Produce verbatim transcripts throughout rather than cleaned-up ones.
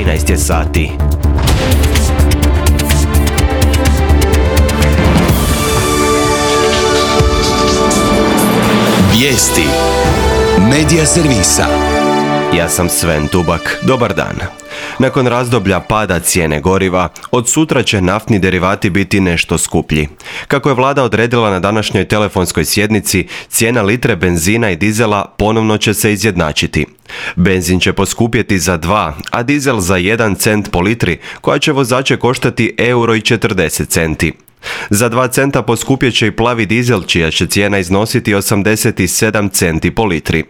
trinaest je sati. Vijesti Medija servisa. Ja sam Sven Tubak. Dobar dan. Nakon razdoblja pada cijene goriva, od sutra će naftni derivati biti nešto skuplji. Kako je vlada odredila na današnjoj telefonskoj sjednici, cijena litre benzina i dizela ponovno će se izjednačiti. Benzin će poskupjeti za dva, a dizel za jedan cent po litri, koja će vozače koštati euro i četrdeset centi. Za dva centa poskupjet će i plavi dizel, čija će cijena iznositi osamdeset sedam centi po litri.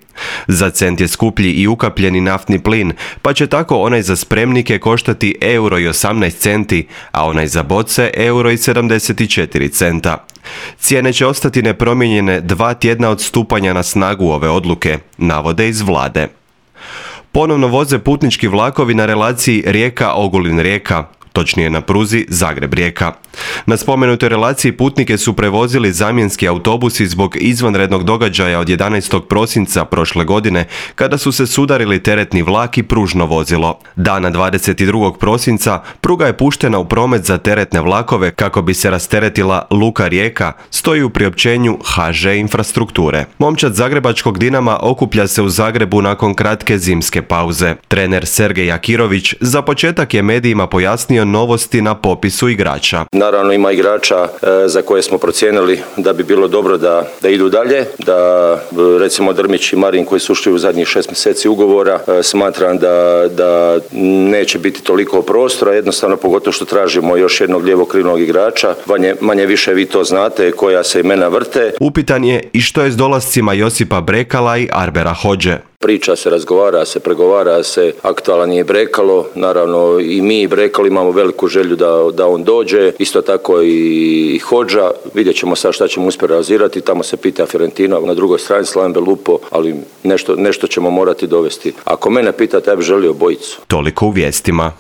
Za cent je skuplji i ukapljeni naftni plin, pa će tako onaj za spremnike koštati euro i osamnaest centi, a onaj za boce euro i sedamdeset četiri centa. Cijene će ostati nepromijenjene dva tjedna od stupanja na snagu ove odluke, navode iz vlade. Ponovno voze putnički vlakovi na relaciji Rijeka-Ogulin-Rijeka, točnije na pruzi Zagreb-Rijeka. Na spomenutoj relaciji putnike su prevozili zamjenski autobusi zbog izvanrednog događaja od jedanaestog prosinca prošle godine, kada su se sudarili teretni vlak i pružno vozilo. Dana dvadeset drugog prosinca pruga je puštena u promet za teretne vlakove kako bi se rasteretila Luka Rijeka, stoji u priopćenju ha že Infrastrukture. Momčad zagrebačkog Dinama okuplja se u Zagrebu nakon kratke zimske pauze. Trener Sergej Akirović za početak je medijima pojasnio novosti na popisu igrača. Naravno ima igrača e, za koje smo procijenili da bi bilo dobro da, da idu dalje, da recimo Drmić i Marin koji su ušli u zadnjih šest mjeseci ugovora, e, smatram da, da neće biti toliko prostora, jednostavno pogotovo što tražimo još jednog lijevokrilnog igrača, manje, manje više vi to znate koja se imena vrte. Upitan je i što je s dolascima Josipa Brekala i Arbera Hodže. Priča se, razgovara se, pregovara se, aktualan je Brekalo, naravno i mi i Brekalo imamo veliku želju da, da on dođe, isto tako i Hodža, vidjet ćemo sad šta ćemo uspjeti realizirati, tamo se pita Fiorentina, na drugoj strani Slaven Belupo, ali nešto, nešto ćemo morati dovesti. Ako mene pitate, ja bih želio bojicu. Toliko u vijestima.